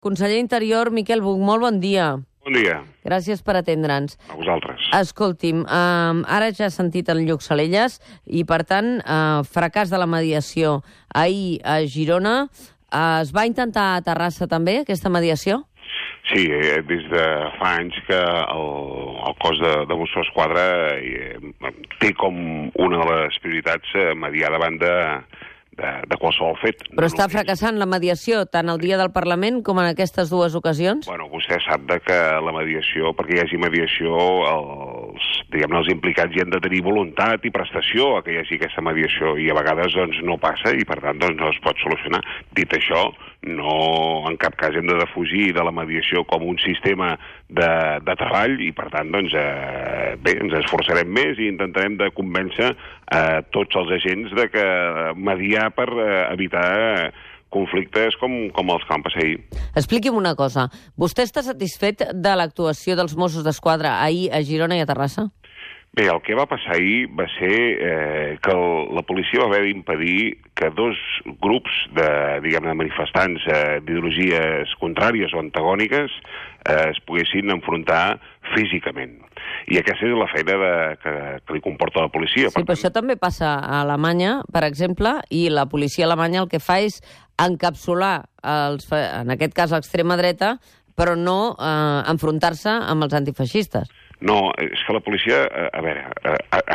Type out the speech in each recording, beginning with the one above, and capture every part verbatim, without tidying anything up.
Conseller Interior, Miquel Buch, molt bon dia. Bon dia. Gràcies per atendre'ns. A vosaltres. Escolti'm, eh, ara ja he sentit el Lluc Salelles i, per tant, eh, fracàs de la mediació ahir a Girona. Eh, es va intentar a Terrassa també, aquesta mediació? Sí, eh, des de fa anys que el, el cos de, de Mossos d'Esquadra eh, té com una de les prioritats eh, mediar davant de, de, de qualsevol fet. Però no està només... fracassant la mediació tant el dia del Parlament com en aquestes dues ocasions? Bueno, vostè sap de que la mediació, perquè hi hagi mediació, els, diguem, els implicats hi han de tenir voluntat i prestació a que hi hagi aquesta mediació, i a vegades doncs, no passa i per tant doncs, no es pot solucionar. Dit això, no en cap cas hem de defugir de la mediació com un sistema de, de treball i per tant doncs, eh, bé, ens esforçarem més i intentarem de convèncer eh, tots els agents de que mediar per eh, evitar eh, conflictes com, com els que van passar ahir. Expliqui'm una cosa. Vostè està satisfet de l'actuació dels Mossos d'Esquadra ahir a Girona i a Terrassa? Bé, el que va passar ahir va ser eh, que el, la policia va haver d'impedir que dos grups de, diguem, de manifestants eh, d'ideologies contràries o antagòniques eh, es poguessin enfrontar físicament. I aquesta és la feina de, que, que li comporta la policia. Sí, per però tant... això també passa a Alemanya, per exemple, i la policia alemanya el que fa és encapsular, els, en aquest cas l'extrema dreta, però no eh, enfrontar-se amb els antifeixistes. No, és que la policia, a veure,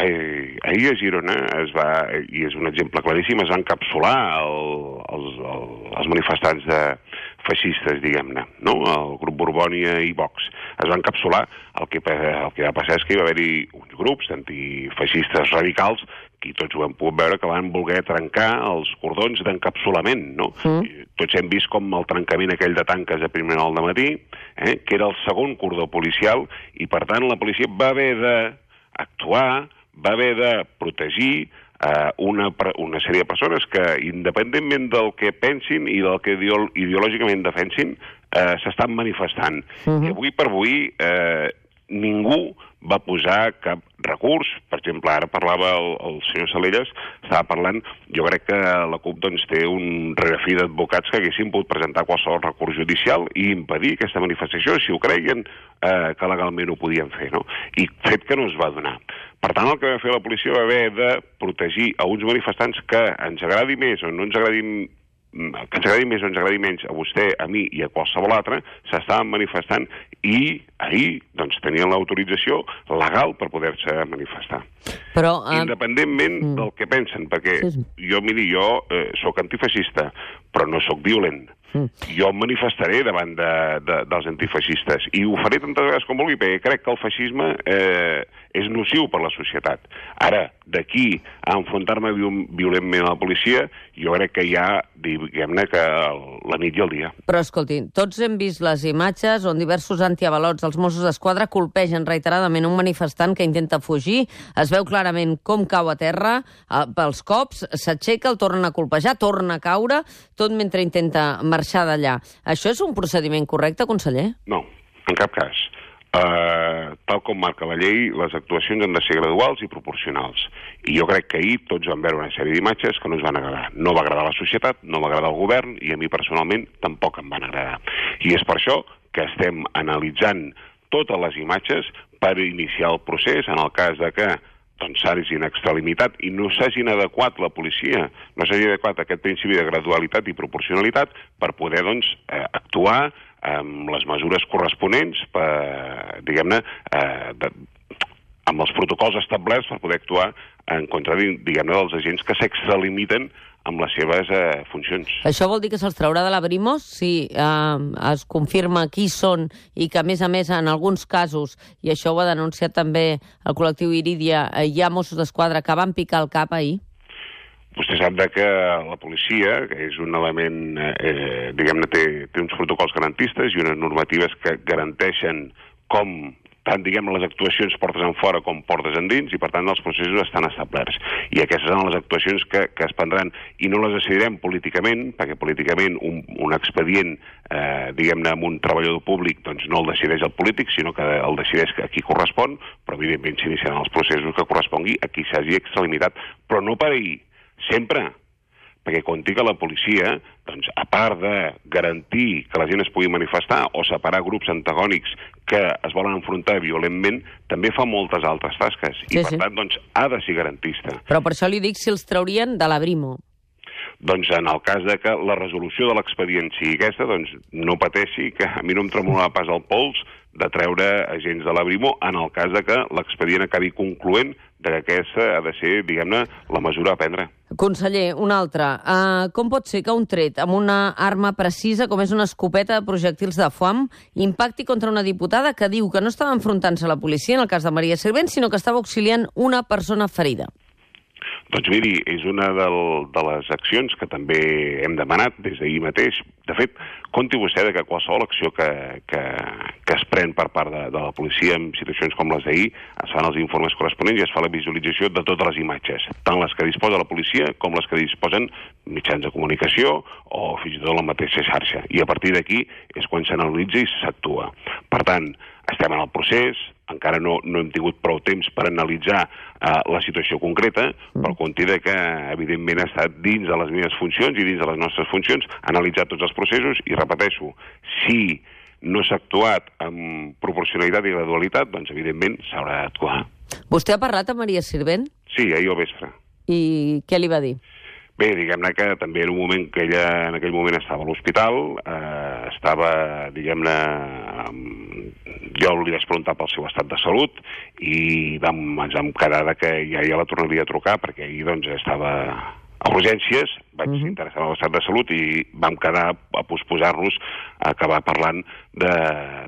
ahir a Girona es va, i és un exemple claríssim, es va encapsular el, els, el, els manifestants de feixistes, diguem-ne, no? El grup Borbònia i Vox. Es va encapsular, el que, el que va passar és que hi va haver-hi uns grups d'antifeixistes radicals i tots ho hem pogut veure que van voler trencar els cordons d'encapsulament, no? Mm. Tots hem vist com el trencament aquell de tanques a primera hora del matí, eh, que era el segon cordó policial, i per tant la policia va haver d'actuar, va haver de protegir eh, una, una sèrie de persones que, independentment del que pensin i del que ideol ideològicament defensin, eh, s'estan manifestant. Mm-hmm. I avui per avui eh, ningú va posar cap recurs. Per exemple, ara parlava el, el senyor Salelles, estava parlant, jo crec que la CUP doncs, té un rerefi d'advocats que haguessin pogut presentar qualsevol recurs judicial i impedir aquesta manifestació, si ho creien eh, que legalment ho podien fer, no? I fet que no es va donar. Per tant, el que va fer la policia va haver de protegir a uns manifestants que ens agradi més o no ens agradi que ens agradi més o ens agradi menys a vostè, a mi i a qualsevol altre, s'estaven manifestant i ahir doncs, tenien l'autorització legal per poder-se manifestar. Però, uh... Independentment mm. del que pensen, perquè sí. jo, miri, jo eh, sóc antifeixista, però no sóc violent. Mm. Jo em manifestaré davant de, de, dels antifeixistes i ho faré tantes vegades com vulgui, perquè crec que el feixisme eh, és nociu per la societat. Ara, d'aquí a enfrontar-me violentment a la policia, jo crec que hi ha, diguem-ne, que la nit i el dia. Però, escolti, tots hem vist les imatges on diversos antiavalots dels Mossos d'Esquadra colpegen reiteradament un manifestant que intenta fugir, es veu clarament com cau a terra, eh, pels cops, s'aixeca, el tornen a colpejar, torna a caure, tot mentre intenta marxar d'allà. Això és un procediment correcte, conseller? No, en cap cas. Uh, tal com marca la llei, les actuacions han de ser graduals i proporcionals. I jo crec que ahir tots vam veure una sèrie d'imatges que no ens van agradar. No va agradar a la societat, no va agradar al govern i a mi personalment tampoc em van agradar. I és per això que estem analitzant totes les imatges per iniciar el procés en el cas de que doncs s'hagin extralimitat i no s'hagin adequat la policia, no s'hagi adequat aquest principi de gradualitat i proporcionalitat per poder, doncs, eh, actuar amb les mesures corresponents per, diguem-ne, eh, de, amb els protocols establerts per poder actuar en contra, diguem-ne, dels agents que s'extralimiten amb les seves eh, funcions. Això vol dir que se'ls traurà de la Brimos si eh, es confirma qui són i que, a més a més, en alguns casos, i això ho ha denunciat també el col·lectiu Irídia, eh, hi ha Mossos d'Esquadra que van picar el cap ahir? Vostè sap que la policia, que és un element, eh, diguem-ne, té, té uns protocols garantistes i unes normatives que garanteixen com, tant, diguem, les actuacions portes en fora com portes endins, i per tant els processos estan establerts. I aquestes són les actuacions que, que es prendran, i no les decidirem políticament, perquè políticament un, un expedient, eh, diguem-ne, amb un treballador públic, doncs no el decideix el polític, sinó que el decideix a qui correspon, però evidentment s'iniciaran els processos que correspongui a qui s'hagi extralimitat, però no per ahir. Sempre, perquè conti que la policia, doncs, a part de garantir que la gent es pugui manifestar o separar grups antagònics que es volen enfrontar violentment, també fa moltes altres tasques. Sí, I, per sí. tant, doncs, ha de ser garantista. Però per això li dic si els traurien de la Brimo. Doncs en el cas de que la resolució de l'expedient sigui aquesta, doncs no pateixi, que a mi no em tremolava pas el pols de treure agents de la Brimo en el cas de que l'expedient acabi concloent de que aquesta ha de ser, diguem-ne, la mesura a prendre. Conseller, un altre. Uh, com pot ser que un tret amb una arma precisa, com és una escopeta de projectils de foam, impacti contra una diputada que diu que no estava enfrontant-se a la policia, en el cas de Maria Sirvent, sinó que estava auxiliant una persona ferida? Doncs miri, és una del, de les accions que també hem demanat des d'ahir mateix. De fet, compti vostè de que qualsevol acció que, que, que es pren per part de, de la policia en situacions com les d'ahir, es fan els informes corresponents i es fa la visualització de totes les imatges, tant les que disposa la policia com les que disposen mitjans de comunicació o fins i tot la mateixa xarxa. I a partir d'aquí és quan s'analitza i s'actua. Per tant, estem en el procés, encara no, no hem tingut prou temps per analitzar uh, la situació concreta, però compti que, evidentment, ha estat dins de les meves funcions i dins de les nostres funcions analitzar tots els processos i, repeteixo, si no s'ha actuat amb proporcionalitat i gradualitat, doncs, evidentment, s'haurà d'actuar. Vostè ha parlat amb Maria Sirvent? Sí, ahir al vespre. I què li va dir? Bé, diguem-ne que també era un moment que ella en aquell moment estava a l'hospital, eh, estava, diguem-ne, jo li vaig preguntar pel seu estat de salut i vam, ens vam quedar que ja, ja la tornaria a trucar perquè ahir doncs, estava a urgències, vaig uh-huh. interessar en l'estat de salut i vam quedar a posposar-nos a acabar parlant de,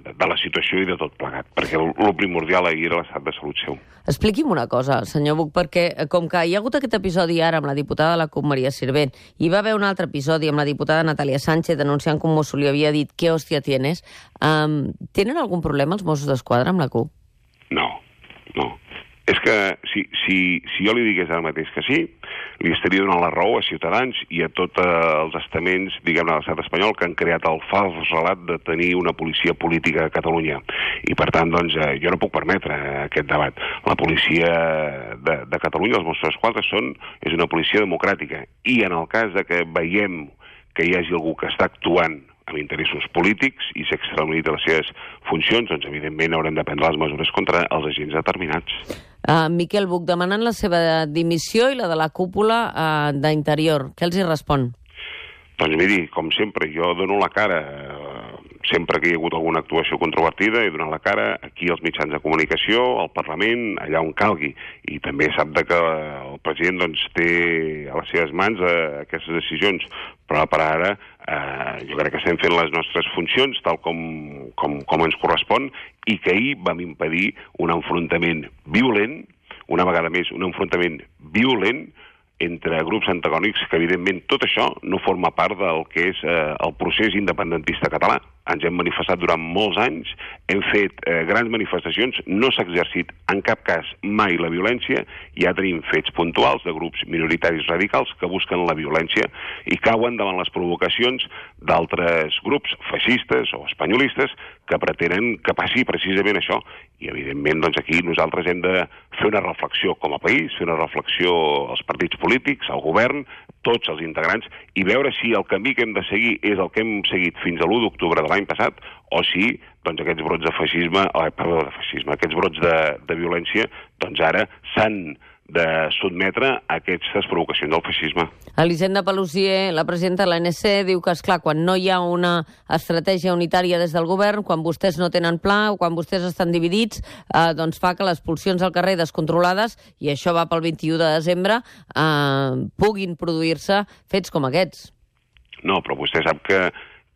de, de la situació i de tot plegat, perquè el, el primordial ahir era l'estat de salut seu. Expliqui'm una cosa, senyor Buch, perquè com que hi ha hagut aquest episodi ara amb la diputada de la CUP, Maria Sirvent, i va haver un altre episodi amb la diputada Natàlia Sánchez denunciant com Mosso li havia dit «Què hòstia tienes?», um, tenen algun problema els Mossos d'Esquadra amb la CUP? No, no. És que si, si, si jo li digués ara mateix que sí, li estaria donant la raó a Ciutadans i a tots els estaments, diguem-ne, de l'estat espanyol que han creat el fals relat de tenir una policia política a Catalunya. I, per tant, doncs, jo no puc permetre aquest debat. La policia de, de Catalunya, els Mossos d'Esquadra, són, és una policia democràtica. I en el cas de que veiem que hi hagi algú que està actuant amb interessos polítics i s'extralimita les seves funcions, doncs, evidentment, haurem de prendre les mesures contra els agents determinats. Uh, Miquel Buch, demanant la seva dimissió i la de la cúpula uh, d'Interior. Què els hi respon? Doncs miri, com sempre, jo dono la cara. Sempre que hi ha hagut alguna actuació controvertida he donat la cara aquí als mitjans de comunicació, al Parlament, allà on calgui. I també sap que el president doncs, té a les seves mans eh, aquestes decisions. Però per ara eh, jo crec que estem fent les nostres funcions tal com, com, com ens correspon i que ahir vam impedir un enfrontament violent, una vegada més un enfrontament violent entre grups antagònics que, evidentment, tot això no forma part del que és eh, el procés independentista català. Ens hem manifestat durant molts anys, hem fet eh, grans manifestacions, no s'ha exercit en cap cas mai la violència, ja tenim fets puntuals de grups minoritaris radicals que busquen la violència i cauen davant les provocacions d'altres grups feixistes o espanyolistes que pretenen que passi precisament això. I, evidentment, doncs aquí nosaltres hem de fer una reflexió com a país, fer una reflexió als partits polítics, al govern, tots els integrants, i veure si el camí que hem de seguir és el que hem seguit fins a l'u d'octubre de l'any passat, o si doncs, aquests brots de feixisme, eh, perdó, de feixisme, aquests brots de, de violència, doncs ara s'han de sotmetre a aquestes provocacions del feixisme. Elisenda Paluzie, la presidenta de l'A N C, diu que, esclar, quan no hi ha una estratègia unitària des del govern, quan vostès no tenen pla o quan vostès estan dividits, eh, doncs fa que les pulsions al carrer descontrolades, i això va pel vint-i-u de desembre, eh, puguin produir-se fets com aquests. No, però vostè sap que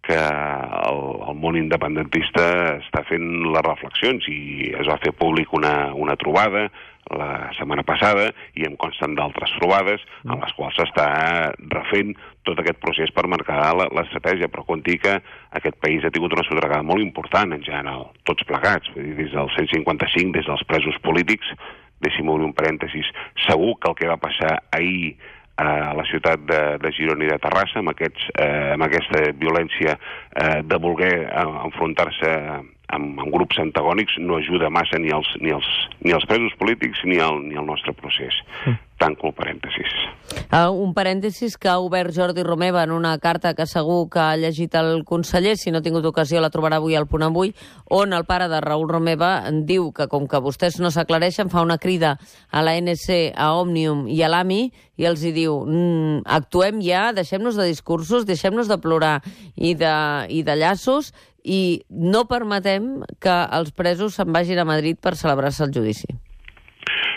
que el, el món independentista està fent les reflexions i es va fer públic una, una trobada la setmana passada i em consten d'altres trobades en les quals s'està refent tot aquest procés per marcar l'estratègia, però compti que aquest país ha tingut una sotragada molt important en general, tots plegats, des del cent cinquanta-cinc, des dels presos polítics, deixi'm obrir un parèntesis, segur que el que va passar ahir a la ciutat de, de Girona i de Terrassa, amb, aquests, eh, amb aquesta violència eh, de voler enfrontar-se amb, amb grups antagònics no ajuda massa ni els, ni els, ni els presos polítics ni el, ni el nostre procés. Mm. Tanco el parèntesis. Uh, un parèntesis que ha obert Jordi Romeva en una carta que segur que ha llegit el conseller, si no ha tingut ocasió la trobarà avui al Punt Avui, on el pare de Raül Romeva diu que com que vostès no s'aclareixen, fa una crida a la N C, a Òmnium i a l'A M I i els hi diu mm, actuem ja, deixem-nos de discursos, deixem-nos de plorar i de, i de llaços i no permetem que els presos se'n vagin a Madrid per celebrar-se el judici.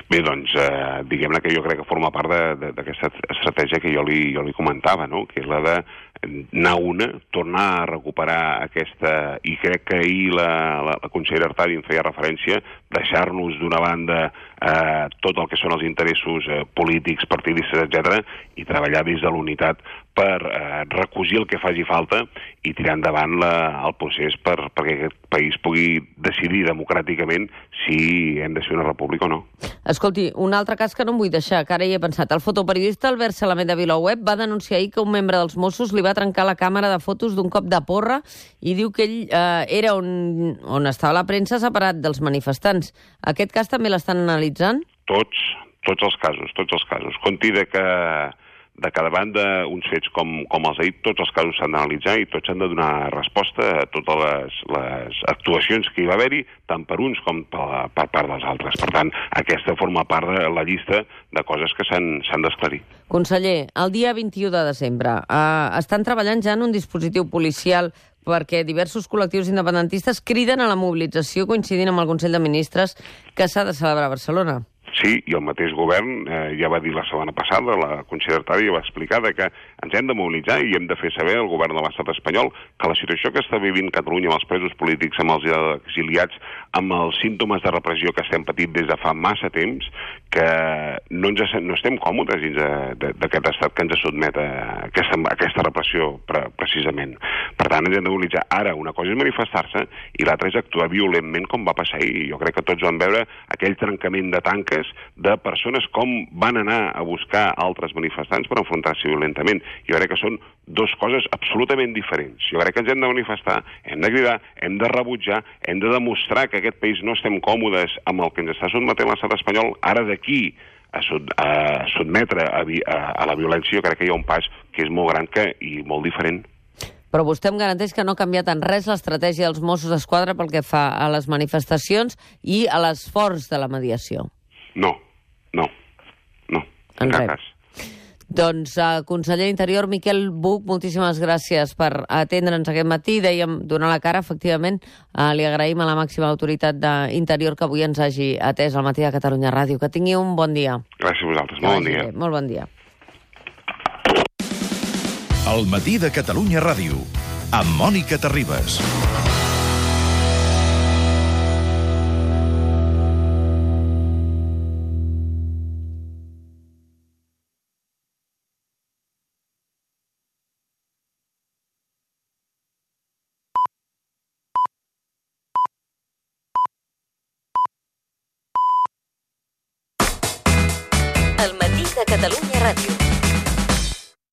Bé, doncs, eh, diguem-ne que jo crec que forma part d'aquesta estratègia que jo li, jo li comentava, no?, que és la de anar una, tornar a recuperar aquesta, i crec que ahir la, la, la consellera Artadi en feia referència, deixar-nos d'una banda eh, tot el que són els interessos eh, polítics, partidistes, etcètera, i treballar des de l'unitat per eh, recosir el que faci falta i tirar endavant la, el procés per, perquè aquest país pugui decidir democràticament si hem de ser una república o no. Escolti, un altre cas que no em vull deixar, que ara hi he pensat. El fotoperiodista Albert Salamet de VilaWeb va denunciar ahir que un membre dels Mossos li va trencar la càmera de fotos d'un cop de porra i diu que ell eh, era on, on estava la premsa separat dels manifestants. Aquest cas també l'estan analitzant? Tots, tots els casos, tots els casos. Conti de que de cada banda, uns fets com, com els d'ahir, tots els casos s'han d'analitzar i tots han de donar resposta a totes les, les actuacions que hi va haver-hi, tant per uns com per, per part dels altres. Per tant, aquesta forma part de la llista de coses que s'han d'esclarir. Conseller, el dia vint-i-u de desembre eh, estan treballant ja en un dispositiu policial perquè diversos col·lectius independentistes criden a la mobilització coincidint amb el Consell de Ministres que s'ha de celebrar a Barcelona. Sí, i el mateix govern eh, ja va dir la setmana passada, la consellera Artadi va explicar que ens hem de mobilitzar i hem de fer saber al govern de l'estat espanyol que la situació que està vivint Catalunya amb els presos polítics, amb els exiliats, amb els símptomes de repressió que estem patint des de fa massa temps, que no, ens, no estem còmodes dins d'aquest estat que ens sotmet a aquesta, a aquesta repressió pre, precisament. Per tant, ens hem de mobilitzar. Ara, una cosa és manifestar-se i l'altra és actuar violentment com va passar ahir. Jo crec que tots vam veure aquell trencament de tanques de persones com van anar a buscar altres manifestants per enfrontar-se violentament. Jo crec que són dues coses absolutament diferents. Jo crec que ens hem de manifestar, hem de cridar, hem de rebutjar, hem de demostrar que aquest país no estem còmodes amb el que ens està sotmetent l'estat espanyol. Ara d'aquí a, sot, a sotmetre a, a, a la violència, jo crec que hi ha un pas que és molt gran que, i molt diferent. Però vostè em garanteix que no ha canviat en res l'estratègia dels Mossos d'Esquadra pel que fa a les manifestacions i a l'esforç de la mediació. No, no, no, en cap cas. Doncs, uh, conseller d'Interior, Miquel Buch, moltíssimes gràcies per atendre'ns aquest matí. Dèiem donar la cara, efectivament. Uh, li agraïm a la màxima autoritat d'Interior que avui ens hagi atès al matí de Catalunya Ràdio. Que tingui un bon dia. Gràcies a vosaltres, molt bon dia. Molt bon dia. El matí de Catalunya Ràdio, amb Mònica Terribas. El matí de Catalunya Ràdio.